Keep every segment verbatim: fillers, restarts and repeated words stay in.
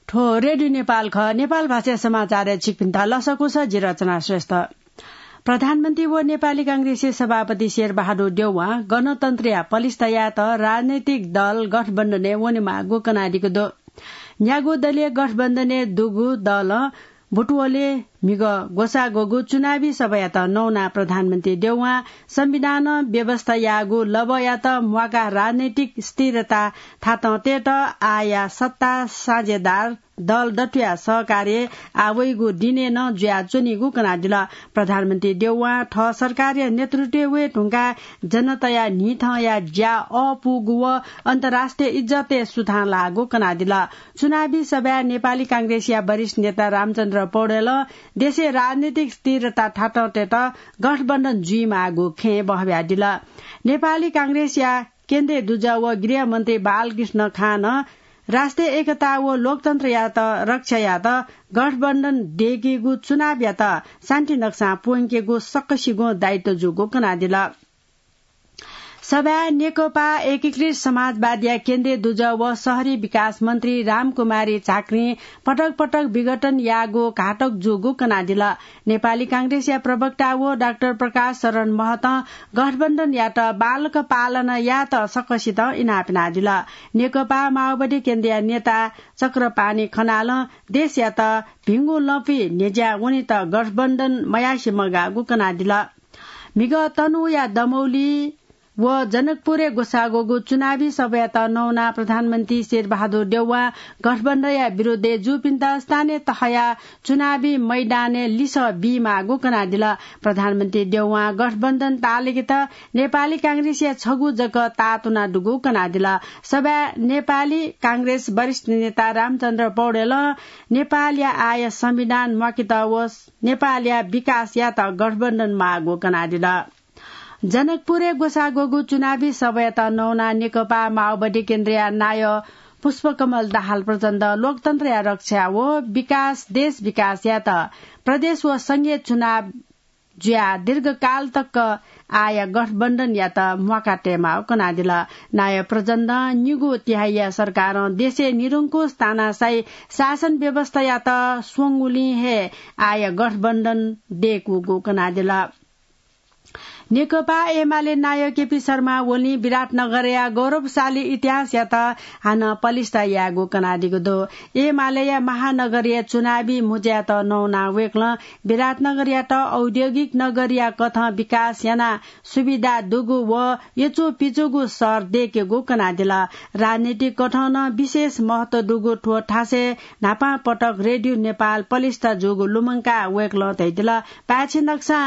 थ्व रेडियो नेपाल खः। नेपाल भाषा समाचारय् छिकपिन्त लसकुस, जि रचना श्रेष्ठ। प्रधानमन्त्री व नेपाली कांग्रेसया सभापति शेरबहादुर देउवां गणतन्त्रया पलिस्था यायेत राजनैतिक दल गठबन्धनय् वनेमाःगु कनादीगु दु। न्यागू दलीय गठबन्धनय् दुगु दलं बुटवलय् म्हिगः ग्वसाः ग्वःगु चुनावी सभायात नवानाः प्रधानमन्त्री देउवां संविधानं व्यवस्था याःगु लबःयात म्वाकाः राजनैतिक स्थिरता थातं तयेत आःया सत्ता साझेदार दल दथुया सहकार्यय् आः वइगु दिनय् नं जुयाच्वनीगु कनादिल। प्रधानमन्त्री देउवां थः सरकारया नेतृत्वय् वये धुंकाः जनताया न्हिथंया ज्या अःपूगु व अन्तर्राष्ट्रिय इज्जतय् सुथां लाःगु कनादिल। चुनावी सभाय् नेपाली कांग्रेसया वरिष्ठ नेता रामचन्द्र पौडेलं देशय् राजनीतिक स्थिरता थातं तयेत गठबन्धन जुइमाःगु खँय् बहब्यादिल। नेपाली कांग्रेसया केन्द्रीय दुजः व गृहमन्त्री बालकृष्ण खानं राष्ट्रिय एकता व लोकतन्त्रयात रक्षा यायेत गठबन्धन दयेकेगु चुनावयात शान्ति नक्सां प्वंकेगु सकसिगुं दायित्व जूगु कनादिल। सभाय् नेकपा एकीकृत समाजवादया केन्द्रीय दुजः व शहरी विकास मन्त्री रामकुमारी झाँक्रीं पटक पटक विघटन याःगु घातक जूगु कनादिल। नेपाली कांग्रेसया प्रवक्ता व डाक्टर प्रकाश शरण महतं गठबन्धनयात बालक पालन यायेत सकसितं इनाप यानादिल। नेकपा माओवादी केन्द्रया नेता चक्रपाणि खनालं देशयात भिंगु लँपुइ न्ह्यज्यां वनेत गठबन्धन मयासे मगाःगु कनादिल। म्हिगः तनहुँया दमौली व जनकपुरय् ग्वसाः ग्वःगु चुनावी सभायात नवानाः प्रधानमन्त्री शेरबहादुर देउवां गठबन्धनया विरुद्धय् जूपिन्त स्थानीय तहया चुनावी मैदानय् लिसः बीमाःगु कनादिल। प्रधानमन्त्री देउवां गठबन्धन ताःलाकेत नेपाली कांग्रेसया छगू जक ताःतुना दुगु कनादिल। सभाय् नेपाली कांग्रेस वरिष्ठ नेता रामचन्द्र पौडेलं नेपालया आःया संविधान म्वाकेत व नेपालया विकास यायेत गठबन्धन माःगु कनादिल। जनकपुरय् ग्वसाः ग्वःगु चुनावी सभायात नवानाः नेकपा माओवादी केन्द्रया नायः पुष्पकमल दाहाल प्रचण्डं लोकतन्त्रया रक्षा व विकास, देश विकास यायेत प्रदेश व संघीय चुनाव जुयाः दीर्घकाल तक आःया गठबन्धनयात म्वाका तयेमाःगु कनादिल। नायः प्रचण्डं निगू तिहाइया सरकारं देशय् निरंकुश तानाशाही शासन व्यवस्थायात स्वंगुलिं हे आःया गठबन्धन दयेकूगु कनादिल। नेकपा एमाले नायः केपी शर्मा ओलीं विराटनगरया गौरवशाली इतिहासयात हानं पलिस्था यायेगु कनादीगु दु। एमालेया महानगरीय चुनावी मुँज्यायात नवानाः वय्कलं विराटनगरयात औद्योगिक नगरीया कथं विकास यानाः सुविधा दुगु व यचुपिचुगु शहर दयेकेगु कनादिल। राजनीतिक कथं नं विशेष महत्व दुगु थ्व थासय् न्हापां पटक रेडियो नेपाल पलिस्था जूगु लुमंकाः वय्कलं धयादिल, पाय्छि नक्सां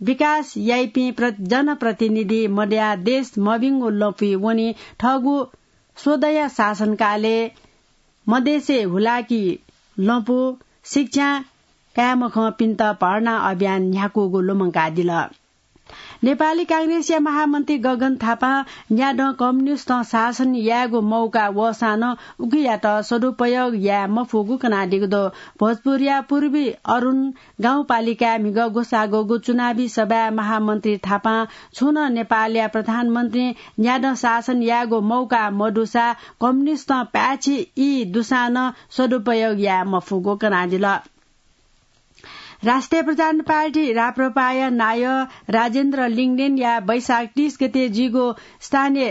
विकास याइपिं प्र-, जनप्रतिनिधि मदयाः देश मभिंगु लँपुइ वनी। थःगु स्वदँया शासनकालय् मदेशय् हुलाकी लँपु, शिक्षां काय्‌मखंपिन्त भर्ना अभियान न्ह्याकूगु लुमंकादिल। नेपाली कांग्रेसया महामन्त्री गगन थापां न्यादँ कम्युनिस्टं शासन यायेगु मौका वःसां नं उकियात सदुपयोग याये मफुगु कनादीगु दु। भोजपुरया पूर्वी अरुण गाउँपालिकाय् म्हिगः ग्वसाः ग्वःगु चुनावी सभाय् महामन्त्री थापां छुं नं नेपालया प्रधानमन्त्री न्यादँ शासन यायेगु मौका मदुसा कम्युनिस्टं पाय्छि ई दुसां नं सदुपयोग याये मफुगु कनादिल। राष्ट्रिय प्रजातन्त्र पार्टी राप्रपाया नायः राजेन्द्र लिङदेनया वैशाख तीस गते जुइगु स्थानीय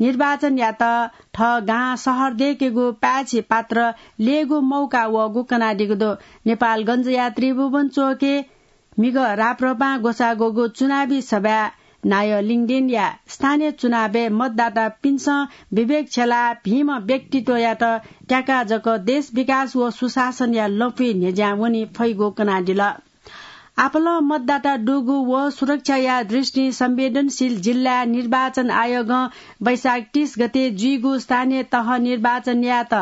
निर्वाचनयात थः गां शहर दयेकेगु पाय्छि पात्र लयेगु मौका वःगु कनादीगु दु। नेपालगञ्जया त्रिभुवन चोकय् म्हिगः राप्रपां ग्वसाः ग्वःगु चुनावी सभाय् नायः लिङदेनया स्थानीय चुनावय् मतदातापिन्सं विवेक छ्यलाः भिंम्ह व्यक्तित्वयात त्याकाः जक देश विकास व सुशासनया लँपुइ न्ह्यज्यां वने फइगु कनादिल। आपालं मतदाता दुगु व सुरक्षाया दृष्टिं संवेदनशील जिल्लाय् निर्वाचन आयोगं वैशाख तीस गते जुइगु स्थानीय तह निर्वाचन यायेत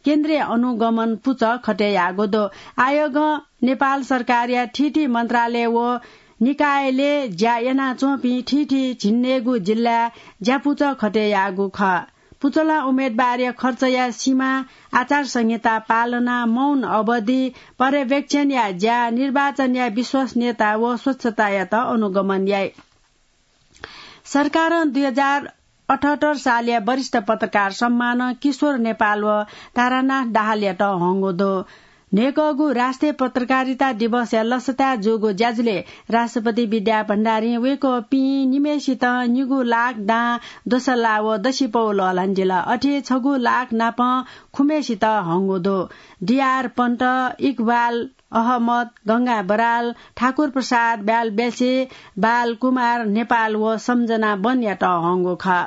केन्द्रीय अनुगमन पुचः खटे याःगु दु। आयोगं नेपाल सरकारया थीथी मन्त्रालय व निकायलय् ज्या यानाच्वंपिं थीथी झिंन्हय्‌गू जिल्लाय् ज्यापुचः खटे याःगु खः। पुचलं उम्मेदवारया खर्चया सीमा, आचार संहिता पालना, मौन अवधि, पर्यवेक्षणया ज्या, निर्वाचनया विश्वसनीयता व स्वच्छतायात अनुगमन याइ। सरकारं दुई हजार अठहत्तर सालया वरिष्ठ पत्रकार सम्मानं किशोर नेपाल व तारानाथ दाहालयात हंगु दु। न्हय्कःगु राष्ट्रिय पत्रकारिता दिवसया लसताय् जूगु ज्याझ्वलय् राष्ट्रपति विद्या भण्डारीं वय्कःपिं निम्हय्सितं निगू लाख दां दोसल्ला व दसिपौ लःल्हानादिल। अथे छगू लाख नापं खुम्हय्सित हंगु दु। डीआर पन्त, इकबाल अहमद, गंगा बराल, ठाकुर प्रसाद ब्यालबेल्छे, बाल कुमार नेपाल व सम्झना बनयात हंगु खः।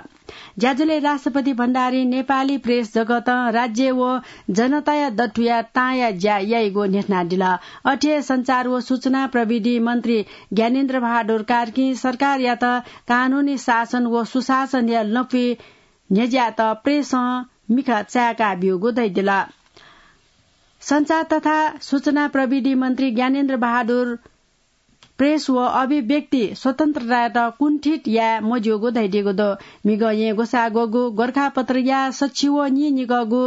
ज्याझ्वलय् राष्ट्रपति भण्डारीं नेपाली प्रेस जगतं राज्य व जनताया दथुया तांया ज्या याइगु न्ह्यथनादिल। अथे सञ्चार व सूचना प्रविधि मन्त्री ज्ञानेन्द्र बहादुर कार्कीं सरकारयात कानूनी शासन व सुशासनया लँपुइ न्ह्यज्यात प्रेसं मिखा चाय्का ब्यूगु धयादिल। सञ्चार तथा सूचना प्रविधि मन्त्री ज्ञानेन्द्र बहादुर प्रेस व अभिव्यक्ति स्वतन्त्रतायात कुण्ठित याये मज्यूगु धयादीगु दु। म्हिगः येँ ग्वसाः ग्वःगु गोरखापत्रया सछि व नीनिगःगु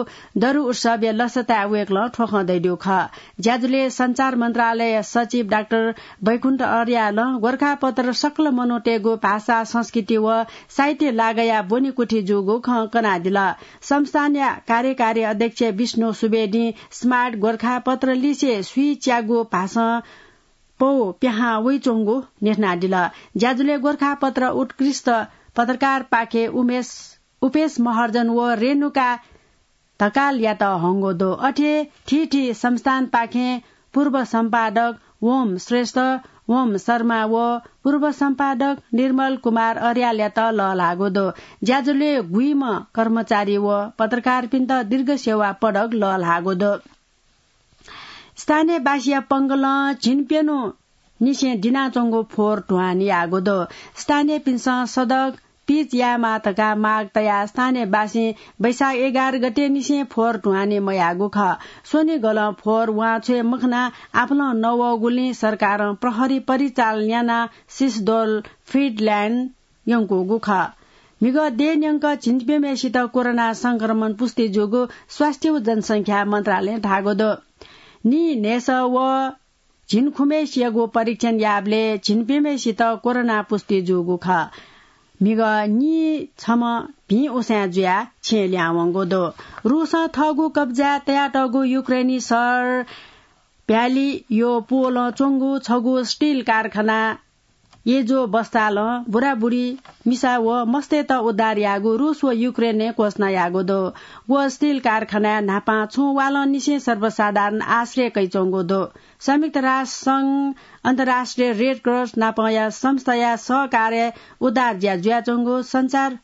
दरु उत्सवया लसताय् वय्कलं थ्व खँ धयादीगु खः। ज्याझ्वलय् सञ्चार मन्त्रालय सचिव डाक्टर बैकुण्ठ अर्यालं गोरखापत्र सकल मनूतय्गु भाषा, संस्कृति व साहित्य लागाया ब्वनेकुथि जूगु खँ कनादिल। संस्थानया कार्यकारी अध्यक्ष विष्णु सुवेदीं स्मार्ट गोरखापत्र लिसे स्वीच्यागु भाषां पौ पिहां वइच्वंगु न्ह्यथनादिल। ज्याझ्वलय् गोरखापत्र उत्कृष्ट पत्रकारपाखें उमेश, उपेश महर्जन व रेणुका ढकालयात हंगु दु। अथे थीथी संस्थानपाखें पूर्व सम्पादक ओम श्रेष्ठ, ओम शर्मा व पूर्व सम्पादक निर्मल कुमार अर्यालयात लःल्हाःगु दु। ज्याझ्वलय् गुइम्ह कर्मचारी व पत्रकारपिन्त दीर्घ सेवा पदक लःल्हाःगु दु। स्थानीयवासीया पंगलं झिंप्यन्हु निसें दिनाच्वंगु फोहोर ध्वान याःगु दु। स्थानीयपिन्सं सडक पिच यायेमाः धकाः माग तयाः स्थानीयवासीं वैशाख एघार गते निसें फोहोर ध्वान मयाःगु खः। स्वनिगलं फोहोर वांछ्वये मखनाः आपालं नवःगुलिं सरकारं प्रहरी परिचालन यानाः सिसडोल फिड लाइन यंकूगु खः। म्हिगः देय् न्यंक झिंप्यम्हेसित कोरोना संक्रमण पुष्टि जूगु स्वास्थ्य व जनसंख्या मन्त्रालयं धाःगु दु। नीन्हय्सः व झिंखुम्हेसियागु परीक्षण याःबलय् झिंप्यम्हेसित कोरोना पुष्टि जूगु खः। म्हिगः नीछम्ह भिं उसाँय् जुयाः छेँय् लिहां वंगु दु। रूसं थःगु कब्जाय् तयातःगु युक्रेनी शहर प्यालियोपोलं च्वंगु छगू स्टिल कारखाना येजोबस्तालं बुराबुरी, मिसा व मस्तय्त उद्धार याःगु रूस व युक्रेनं घोषणा याःगु दु। व स्टिल कारखानाय् न्हापां छुं वालंनिसें सर्वसाधारण आश्रय कयाच्वंगु दु। संयुक्त राष्ट्र संघ, अन्तर्राष्ट्रिय रेड क्रस नापंया संस्थाया सहकार्यं उद्धार ज्या जुयाच्वंगु सञ्चार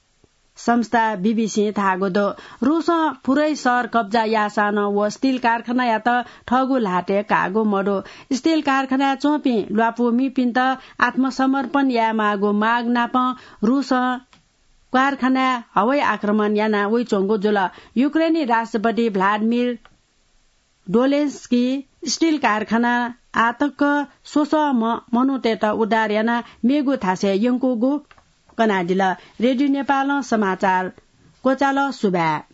संस्था बीबीसीं धाःगु दु। रूसं पुरै शहर कब्जा याःसां नं व स्टिल कारखानायात थःगु ल्हातय् काःगु मदु। स्टिल कारखानाय् च्वंपिं ल्वापुमिपिन्त आत्मसमर्पण यायेमाःगु माग नापं रूसं कारखानाय् हवाई आक्रमण याना वइच्वंगु जुल। युक्रेनी राष्ट्रपति भ्लादिमिर डोलेन्स्की स्टिल कारखानां आःतक स्वसः म-, मनूतय्त उद्धार यानाः मेगु थासय् यंकूगु कनादिल। रेडियो नेपालं समाचार क्वचाल। सुभाय्।